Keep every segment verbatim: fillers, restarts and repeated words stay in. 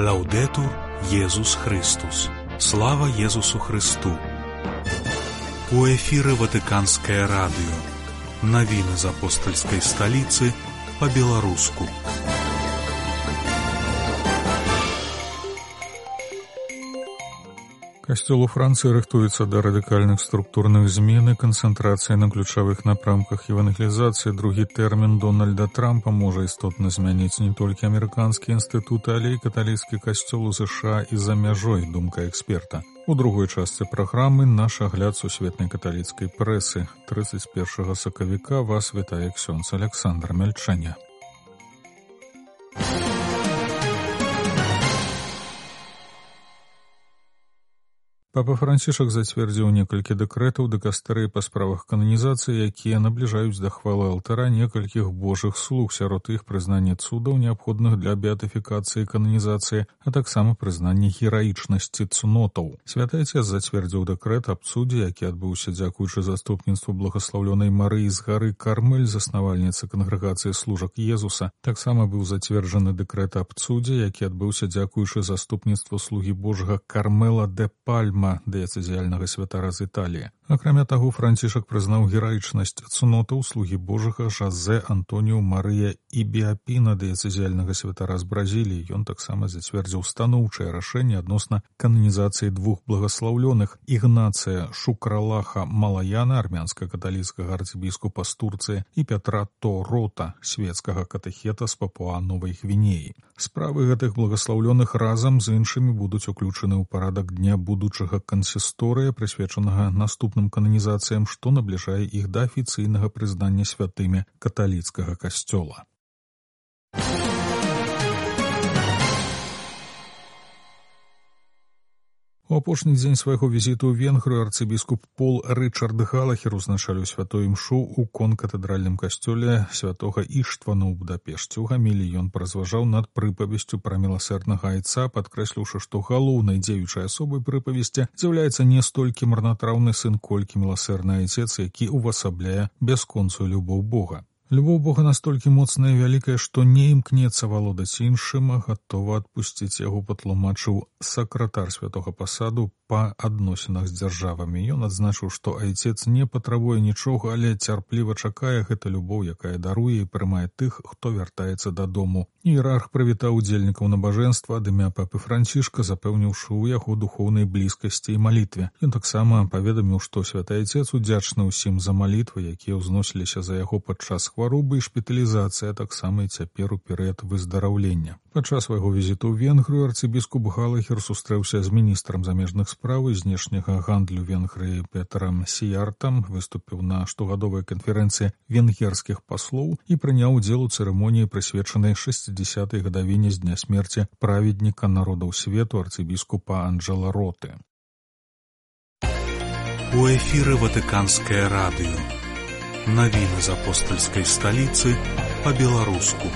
Лаўдетур Езус Христус. Слава Езусу Христу. У эфіры Ватыканскае радыё. Навіны з апостальскай сталіцы па-беларуску. Касцёл у Францыі рыхтуецца да радыкальных структурных змен і канцэнтрацыі на ключавых напрамках евангелізацыі. Другі тэрмін Дональда Трампа можа істотна змяніць не толькі амерыканскія інстытуты, але і каталіцкі касцёл у ЗША і за мяжой, думка эксперта. У другой частцы праграмы наш агляд сусветнай каталіцкай прэсы. трыццаць першага сакавіка вас вітае ксёндз Аляксандр Мяльчаня. Папа Францішак зацвердзіў некалькі дэкрэтаў дыкастэрыі па справах кананізацыі, якія набліжаюць да хвалы алтара некалькіх божых слуг, сярод іх прызнанне цудаў, неабходных для беатыфікацыі кананізацыі, а таксама прызнанне гераічнасці цнотаў. Святы Ацец зацвердзіў дэкрэт аб цудзе, які адбыўся дзякуючы заступніцтву благаслаўлёнай Марыі з гары Кармель, заснавальніцы кангрэгацыі служак Езуса. Таксама быў зацверджаны дэкрэт аб цудзе, які адбыўся дзякуючы заступніцтву слугі Божага Кармела де Пальма, дыяцэзіяльнага святара з Італіі. Акрамя таго, Францішак прызнаў гераічнасць цнотаў слугі Божага Жазэ Антоніу Марыя і Біапіна, дыяцэзіяльнага святара з Бразіліі. Ён таксама зацвердзіў станоўчае рашэнне адносна кананізацыі двух благаслаўлёных: Ігнацыя Шукралаха Малаяна, армянска-каталіцкага арцыбіскупа з Турцыі, і Пятра Торота, свецкага катэхета з Папуа-Новай Гвінеі. Справы гэтых благаслаўлёных разам з іншымі будуць уключаны ў парадак дня будучага кансісторыя, прысвечанага наступным кананізацыям, што набліжае іх да афіцыйнага прызнання святымі каталіцкага касцёла. У апошні дзень свайго візіту ў Венгрыю арцыбіскуп Пол Рычард Галахер узначаліў святую імшу ў конкатэдральным касцёле святога Іштвана ў Будапешце. У гаміліі ён паразважаў над прыпавесцю пра міласэрнага айца, падкрэсліўшы, што галоўнай дзеючай асобай прыпавесці з'яўляецца не столькі марнатраўны сын, колькі міласэрны айцец, які ўвасабляе бясконцую любоў Бога. Любоў Бога настолькі моцная і вялікая, што не імкнецца валодаць іншым, а гатова адпусціць яго, патлумачыў сакратар святога пасаду па адносінах з дзяржавамі. Ён адзначыў, што айцец не патрабуе нічога, але цярпліва чакае гэта любоў, якая даруе і прымае тых, хто вяртаецца дадому. Іерарх прывітаў удзельнікаў набажэнства ад імя папы Францішка, запэўніўшы ў яго духоўнай блізкасці і малітве. Ён таксама паведаміў, што святы айцец удзячны ўсім за малітвы, якія ўзносіліся за яго падчас хваробы і шпіталізацыі, а таксама і цяпер у перыяд выздараўлення. Падчас свайго візіту ў Венгрыю арцыбіскуп Галахер сустрэўся з міністрам замежных спраў і знешняга гандлю Венгрыі Петрам Сіяртам, выступіў на штогадовай канферэнцыі венгерскіх паслоў і прыняў удзел у цырымоніі, прысвечанай шэсцідзясятай гадавіне з дня смерці праведніка народаў свету арцыбіскупа Анджэла Роты. У эфіры Ватыканскае радыё. Навіны з апостальскай сталіцы па-беларуску.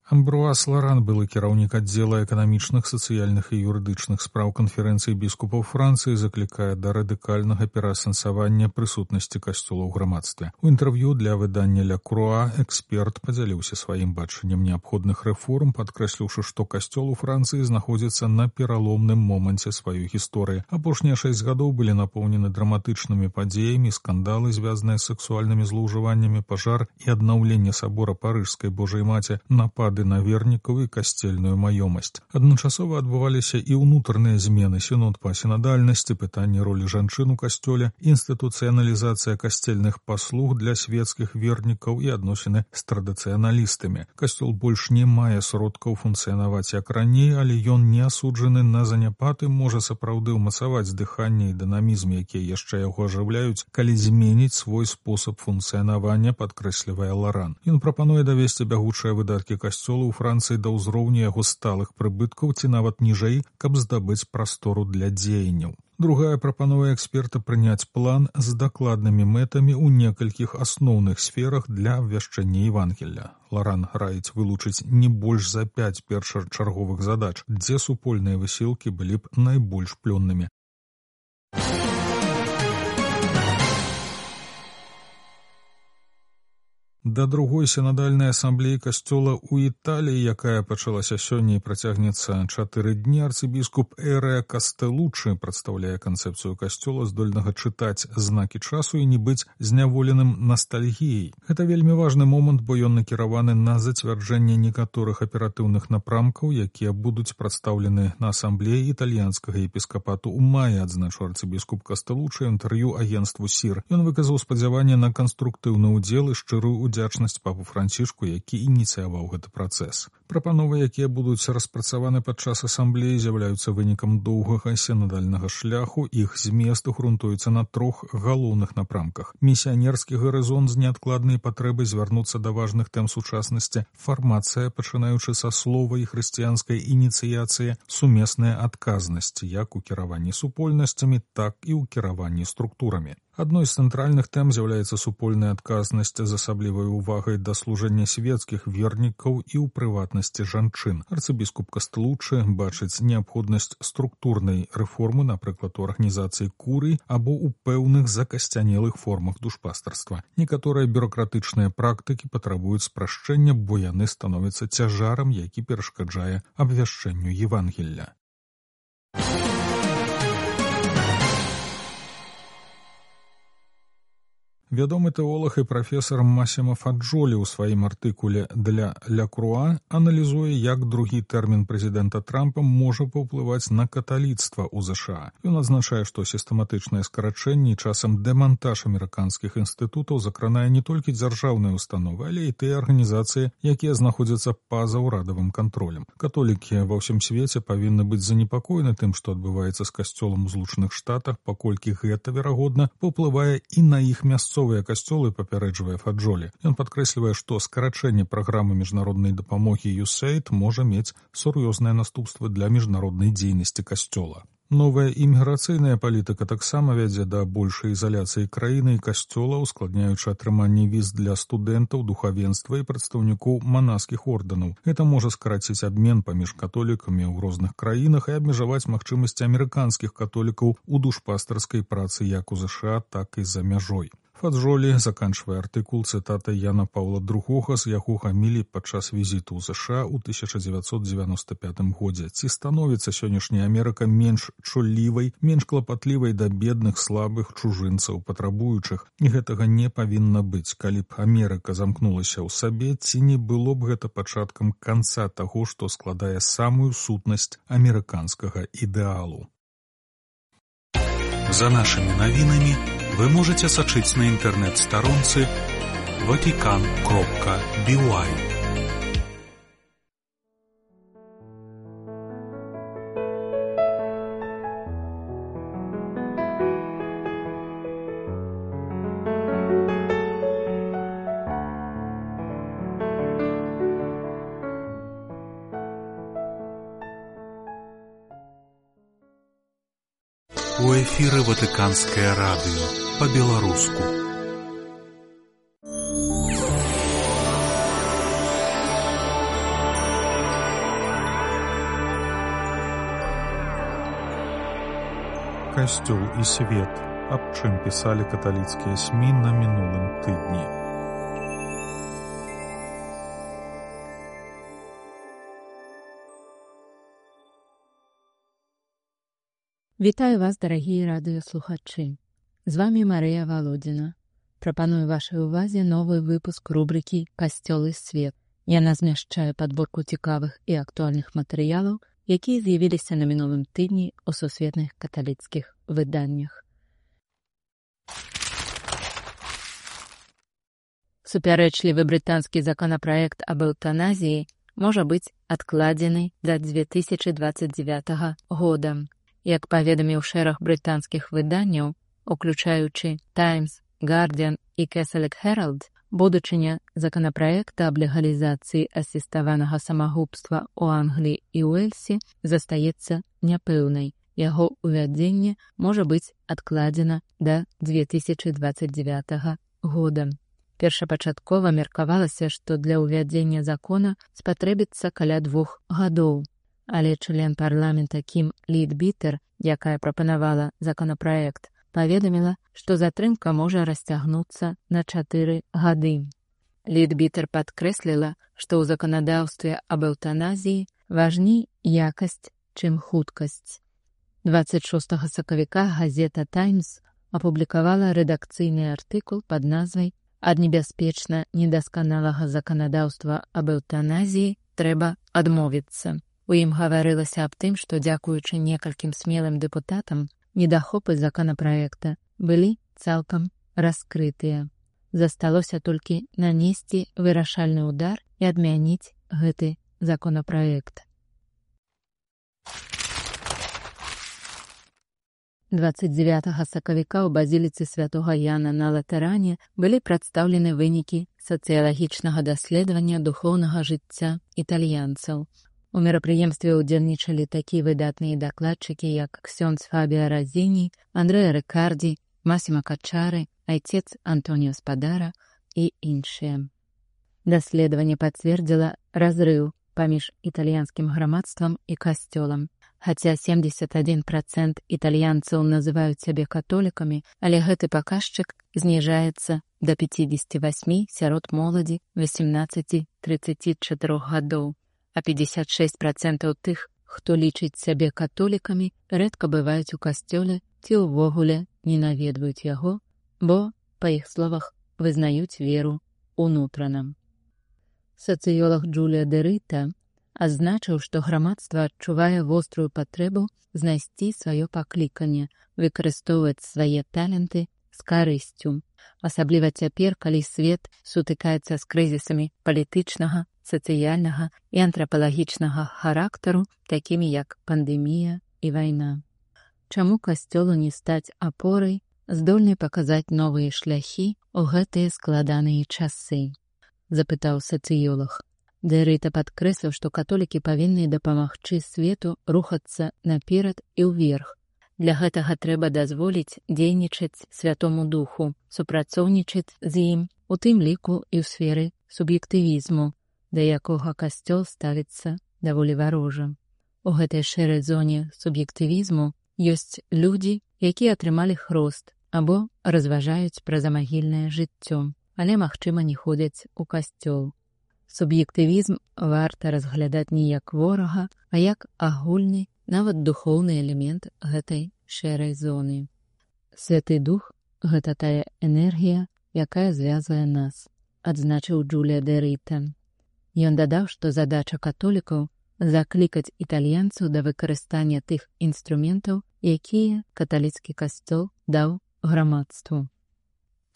Амбруаз Ларан, былы кіраўнік аддзела эканамічных, сацыяльных і юрыдычных спраў канферэнцыі біскупаў Францыі, заклікае да радыкальнага пераасэнсавання прысутнасці касцёла ў грамадстве. У інтэрв'ю для выдання Ля Круа эксперт падзяліўся сваім бачаннем неабходных рэформ, падкрэсліўшы, што касцёл у Францыі знаходзіцца на пераломным моманце сваёй гісторыі. Апошнія шэсць гадоў былі напоўнены драматычнымі падзеямі, скандалы, звязаныя з сексуальнымі злоўжываннямі, пажар і аднаўленне сабора Парыжскай Божай Маці, напад на вернікаў і касцельную маёмасць. Адначасова адбываліся і ўнутраныя змены: сінод па сінадальнасці, пытанне ролі жанчын у касцёле, інстытуцыяналізацыя касцельных паслуг для свецкіх вернікаў і адносіны з традыцыяналістамі. Касцёл больш не мае сродкаў функцыянаваць як раней, але ён не асуджаны на заняпад і можа сапраўды ўмацаваць дыханне і дынамізм, якія яшчэ яго ажыўляюць, калі зменіць свой спосаб функцыянавання, падкрэслівае Ларан. Ён прапануе давесці бягучыя выдаткі касцёла у Францыі да ўзроўню яго сталых прыбыткаў ці нават ніжэй, каб здабыць прастору для дзеянняў. Другая прапануе эксперта прыняць план з дакладнымі мэтамі ў некалькіх асноўных сферах для абвяшчэння Евангелля. Ларан раіць вылучыць не больш за пяць першачарговых задач, дзе супольныя высілкі былі б найбольш плённымі. Да другой сінадальнай асамблеі касцёла ў Італіі, якая пачалася сёння і працягнецца чатыры дні, арцыбіскуп Эреа Кастэлучы прадстаўляе канцэпцыю касцёла, здольнага чытаць знакі часу і не быць зняволеным ностальгіяй. Гэта вельмі важны момант, бо ён накіраваны на зацвярджэнне некаторых аператыўных напрамкаў, якія будуць прадстаўлены на асамблеі італьянскага епіскапату ў маі, адзначыў арцыбіскуп Кастэлучы ў інтэрв'ю агенцтву СІР. Ён выказаў спадзяванне на канструктыўны ўдзел і шчырую удзячнасць папу Францішку, які ініцыяваў гэты працэс. Прапановы, якія будуць распрацаваны падчас асамблеі, з'яўляюцца вынікам доўгага сінадальнага шляху. Іх змест грунтуецца на трох галоўных напрамках: місіянерскі гарызонт з неадкладнай патрэбай звярнуцца да важных тэм сучаснасці, фармацыя, пачынаючы са слова і хрысціянскай ініцыяцыі, сумесная адказнасць як у кіраванні супольнасцямі, так і ў кіраванні структурамі. Адной з цэнтральных тэм з'яўляецца супольная адказнасць з асаблівай увагай да служэння свецкіх вернікаў і ў прыватнасці жанчын. Арцыбіскуп Кастэлучы бачыць неабходнасць структурнай рэформы, напрыклад, у арганізацыі курый або ў пэўных закасцянелых формах душпастарства. Некаторыя бюракратычныя практыкі патрабуюць спрашчэння, бо яны становяцца цяжарам, які перашкаджае абвяшчэнню Евангелля. Вядомы тэолаг і прафесар Масімо Фаджолі ў сваім артыкуле для Ля Круа аналізуе, як другі тэрмін прэзідэнта Трампа можа паўплываць на каталіцтва ў ЗША. Ён адзначае, што сістэматычнае скарачэнне і часам дэмантаж амерыканскіх інстытутаў закранае не толькі дзяржаўныя установы, але і тыя арганізацыі, якія знаходзяцца па-за ўрадавым кантролем. Католікі ва ўсім свеце павінны быць занепакоены тым, што адбываецца з касцёлам у Злучаных Штатах, паколькі гэта, верагодна, паўплывае і на іх мясцовыя касцёлы, папярэджвае Фаджолі. Ён падкрэслівае, што скарачэнне праграмы міжнароднай дапамогі ю эс эй ай ді можа мець сур'ёзныя наступствы для міжнароднай дзейнасці касцёла. Новая іміграцыйная палітыка таксама вядзе да большай ізаляцыі краіны і касцёла, ускладняючы атрыманне віз для студэнтаў, духавенства і прадстаўнікоў манаскіх ордэнаў. Гэта можа скараціць абмен паміж католікамі ў розных краінах і абмежаваць магчымасці амерыканскіх католікаў у душпастарскай працы як у ЗША, так і за мяжой. Фаджолі заканчвае артыкул цытатай Яна Паўла другога з яго гамілій падчас візіту ў ЗША ў тысяча дзевяцьсот дзевяноста пятым годзе. Ці становіцца сённяшняя Амерыка менш чуллівай, менш клапатлівай да бедных, слабых, чужынцаў, патрабуючых? І гэтага не павінна быць. Калі б Амерыка замкнулася ў сабе, ці не было б гэта пачаткам канца таго, што складае самую сутнасць амерыканскага ідэалу? За нашими навінамі вы можете сачыць на інтэрнэт-старонцы ватикан кропка би уай. У эфіры Ватыканскае радыё па-беларуску. Касцёл і свет. Аб чым пісалі каталіцкія СМІ на мінулым тыдні. Вітаю вас, дарагія радыёслухачы. З вамі Марыя Валодзіна. Прапаную вашай увазе новы выпуск рубрыкі «Касцёл і свет». Яна змяшчае падборку цікавых і актуальных матэрыялаў, якія з'явіліся на мінулым тыдні ў сусветных каталіцкіх выданнях. Супярэчлівы брытанскі законапраект аб эўтаназіі можа быць адкладзены да дзве тысячы дваццаць дзевятага года. Як паведаміў шэраг брытанскіх выданняў, уключаючы «Таймс», «Гардзіан» і «Кэсалек Хэралд», будучыня законапраекта аб легалізацыі асіставанага самагубства ў Англіі і Уэльсе застаецца няпэўнай. Яго ўвядзенне можа быць адкладзена да дзве тысячы дваццаць дзевятага года. Першапачаткова меркавалася, што для ўвядзення закона спатрэбіцца каля двух гадоў. Але член парламента Кім Лідбітер, якая прапанавала законапраект, паведаміла, што затрымка можа расцягнуцца на чатыры гады. Лідбітер падкрэсліла, што ў заканадаўстве аб эўтаназіі важней якасць, чым хуткасць. дваццаць шостага сакавіка газета «Таймс» апублікавала рэдакцыйны артыкул пад назвай «Ад небяспечна недасканалага заканадаўства аб эўтаназіі трэба адмовіцца». У ім гаварылася аб тым, што дзякуючы некалькім смелым дэпутатам недахопы законапраекта былі цалкам раскрытыя. Засталося толькі нанесці вырашальны ўдар і адмяніць гэты законапраект. дваццаць дзевятага сакавіка ў базіліцы святога Яна на Латэране былі прадстаўлены вынікі сацыялагічнага даследавання духоўнага жыцця італьянцаў. У мерапрыемстве ўдзельнічалі такія выдатныя дакладчыкі, як ксёндз Фабіа Разіні, Андрэа Рыкардзі, Масіма Качары, айцец Антоніо Спадара і іншыя. Даследаванне пацвердзіла разрыў паміж італьянскім грамадствам і касцёлам. Хаця семдзесят адзін працэнт італьянцаў называюць сябе католікамі, але гэты паказчык зніжаецца да пяцідзесяці васьмі сярод моладзі васемнаццаці-трыццаці чатырох гадоў, а пятьдесят шесть працентаў тых, хто лічыць сябе католікамі, рэдка бываюць у касцёле ці ўвогуле не наведваюць яго, бо, па іх словах, вызнаюць веру унутрана. Сацыёлаг Джулія Дэрыта адзначыў, што грамадства адчувае вострую патрэбу знайсці сваё пакліканне, выкарыстоўваць свае таленты з карысцю. Асабліва цяпер, калі свет сутыкаецца з крызісамі палітычнага, сацыяльнага і антрапалагічнага характару, такімі як пандэмія і вайна. Чаму касцёлу не стаць апорай, здольнай паказаць новыя шляхі ў гэтыя складаныя часы? Запытаў сацыёлаг. Дэрыта падкрэсліў, што католікі павінны дапамагчы свету рухацца наперад і ўверх. Для гэтага трэба дазволіць дзейнічаць Святому Духу, супрацоўнічаць з ім, у тым ліку і ў сферы суб'ектывізму, да якога касцёл ставіцца даволі варожа. У гэтай шэрай зоне суб'ектывізму ёсць людзі, якія атрымалі хрост або разважаюць пра замагільнае жыццё, але, магчыма, не ходзяць у касцёл. Суб'ектывізм варта разглядаць не як ворага, а як агульны, нават духоўны элемент гэтай шэрай зоны. Святы Дух — гэта тая энергія, якая звязвае нас, адзначыў Джулія Дэрыта. Ён дадаў, што задача католікаў — заклікаць італьянцаў да выкарыстання тых інструментаў, якія каталіцкі касцёл даў грамадству.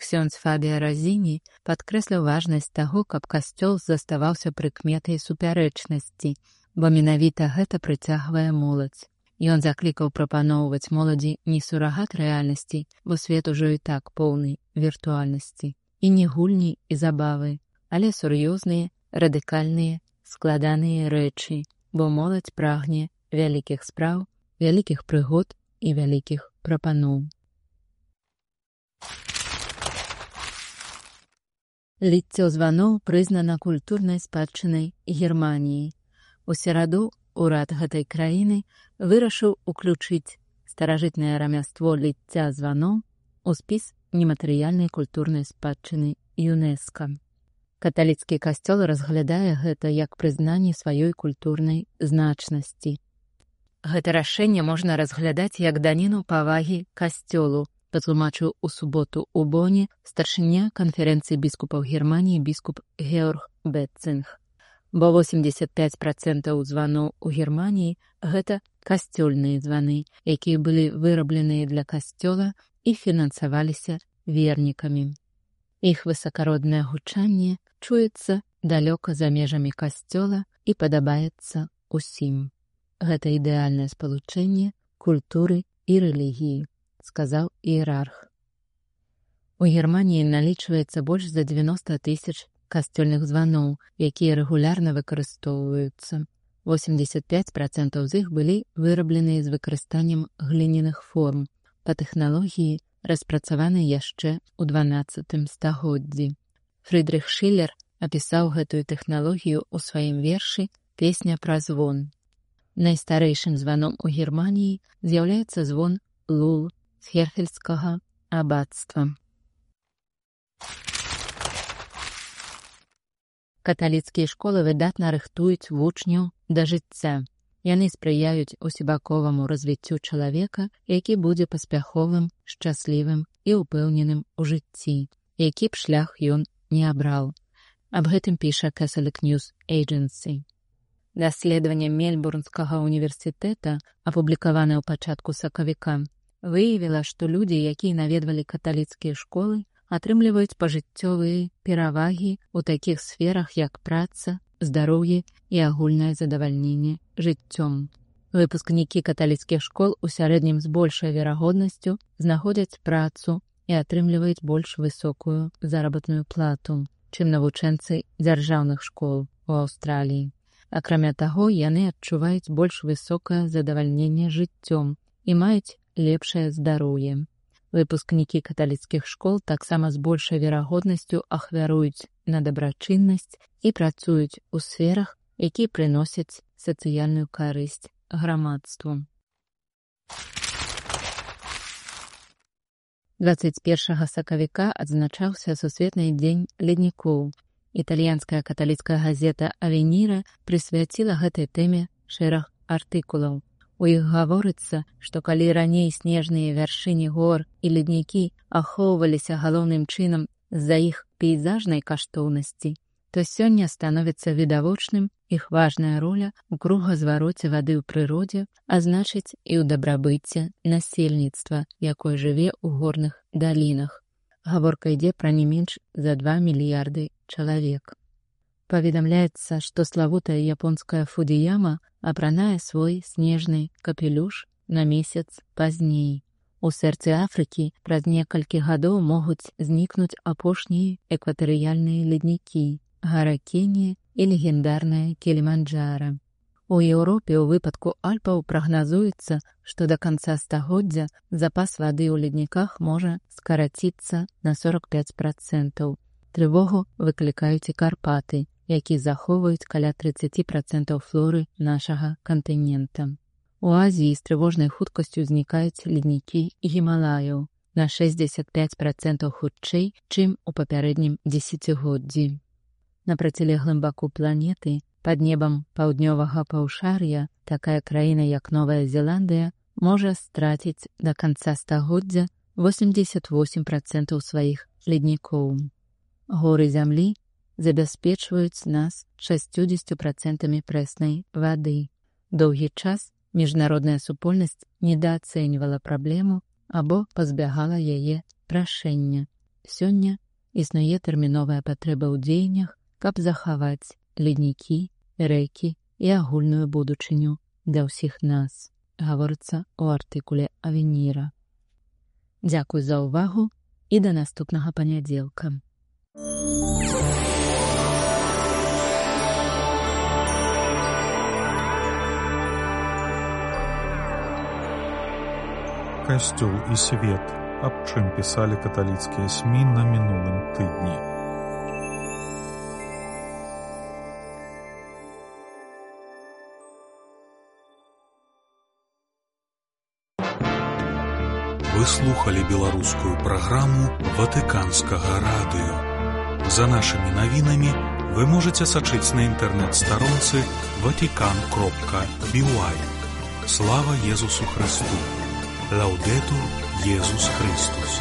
Ксёндз Фабіа Разіні падкрэсліў важнасць таго, каб касцёл заставаўся прыкметай супярэчнасці, бо менавіта гэта прыцягвае моладзь. Ён заклікаў прапаноўваць моладзі не сурагат рэальнасці, бо свет ужо і так поўны віртуальнасці, і не гульні і забавы, але сур'ёзныя, радыкальныя, складаныя рэчы, бо моладзь прагне вялікіх спраў, вялікіх прыгод і вялікіх прапаноў. Ліццё званоў прызнана культурнай спадчынай Германіі. У сераду ўрад гэтай краіны вырашыў уключыць старажытнае рамяство ліцця званоў у спіс нематэрыяльнай культурнай спадчыны ЮНЕСКА. Каталіцкі касцёл разглядае гэта як прызнанне сваёй культурнай значнасці. Гэта рашэнне можна разглядаць як даніну павагі касцёлу, патлумачыў у суботу ў Боне старшыня канферэнцыі біскупаў Германіі біскуп Георг Бетцинг. Бо восемьдесят пять працентаў званоў у Германіі гэта касцёльныя званы, якія былі вырабленыя для касцёла і фінансаваліся вернікамі. Іх высакароднае гучанне чуецца далёка за межамі касцёла і падабаецца ўсім. Гэта ідэальнае спалучэнне культуры і рэлігіі, сказаў іерарх. У Германіі налічваецца больш за дзевяноста тысяч касцёльных званоў, якія рэгулярна выкарыстоўваюцца. восемьдесят пять працентаў з іх былі вырабленыя з выкарыстаннем гліняных форм па тэхналогіі, распрацаванай яшчэ ў дванаццатым стагоддзі. Фрыдрых Шылер апісаў гэтую тэхналогію ў сваім вершы «Песня пра звон». Найстарэйшым званом у Германіі з'яўляецца звон Лул з Херфельскага абацтва. Каталіцкія школы выдатна рыхтуюць вучняў да жыцця. Яны спрыяюць усебаковаму развіццю чалавека, які будзе паспяховым, шчаслівым і ўпэўненым у жыцці, які б шлях ён не абраў. Аб гэтым піша Catholic News Agency. Даследаванне Мельбурнскага універсітэта, апублікаванае ў пачатку сакавіка, выявіла, што людзі, якія наведвалі каталіцкія школы, атрымліваюць пажыццёвыя перавагі ў такіх сферах, як праца, здароўе і агульнае задавальненне жыццём. Выпускнікі каталіцкіх школ у сярэднім з большай верагоднасцю знаходзяць працу і атрымліваюць больш высокую заработную плату, чым навучэнцы дзяржаўных школ у Аўстраліі. Акрамя таго, яны адчуваюць больш высокае задавальненне жыццём і маюць лепшае здароўе. Выпускнікі каталіцкіх школ таксама з большай верагоднасцю ахвяруюць на дабрачыннасць і працуюць у сферах, якія прыносяць сацыяльную карысць грамадству. дваццаць першага сакавіка адзначаўся Сусветны дзень леднікоў. Італьянская каталіцкая газета «Авеніра» прысвяціла гэтай тэме шэраг артыкулаў. У іх гаворыцца, што калі раней снежныя вяршыні гор і леднікі ахоўваліся галоўным чынам з-за іх пейзажнай каштоўнасці, то сёння становіцца відавочным іх важная роля ў кругазвароце вады ў прыродзе, а значыць і ў дабрабыце насельніцтва, якое жыве ў горных далінах. Гаворка ідзе пра не менш за два мільярды чалавек. Паведамляецца, што славутая японская Фудзіяма апранае свой снежны капелюш на месяц пазней. У сэрцы Афрыкі праз некалькі гадоў могуць знікнуць апошнія экватарыяльныя леднікі, гара Кенія і легендарная Кіліманджара. У Еўропе ў выпадку Альпаў прагназуецца, што да канца стагоддзя запас вады ў ледніках можа скараціцца на сорок пяць працэнтаў. Трывогу выклікаюць і Карпаты, які захоўваюць каля трыццаць працэнтаў флоры нашага кантынента. У Азіі з трывожнай хуткасцю знікаюць леднікі Гімалаяў на шэсцьдзесят пяць працэнтаў хутчэй, чым у папярэднім дзесяцігоддзі. На процілеглым баку планеты, пад небам паўднёвага паўшар'я, такая краіна, як Новая Зеландыя, можа страціць да канца стагоддзя восемьдесят восемь працэнтаў сваіх леднікоў. Горы зямлі забяспечваюць нас шасцьдзесят працэнтамі прэснай вады. Доўгі час міжнародная супольнасць недаацэньвала праблему або пазбягала яе рашэння. Сёння існуе тэрміновая патрэба ў дзеяннях, каб захаваць леднікі, рэкі і агульную будучыню для ўсіх нас, гаворыцца ў артыкуле «Авеніра». Дзякуй за ўвагу і да наступнага панядзелка. Касцёл і свет. Аб чым пісалі каталіцкія СМІ на мінулым тыдні. Вы слухали беларускую праграму Ватыканскага радыё. За нашымі навінамі вы можаце сачыць на інтэрнэт-старонцы ватикан кропка би уай. Слава Езусу Христу! Лаудетур Езус Христус!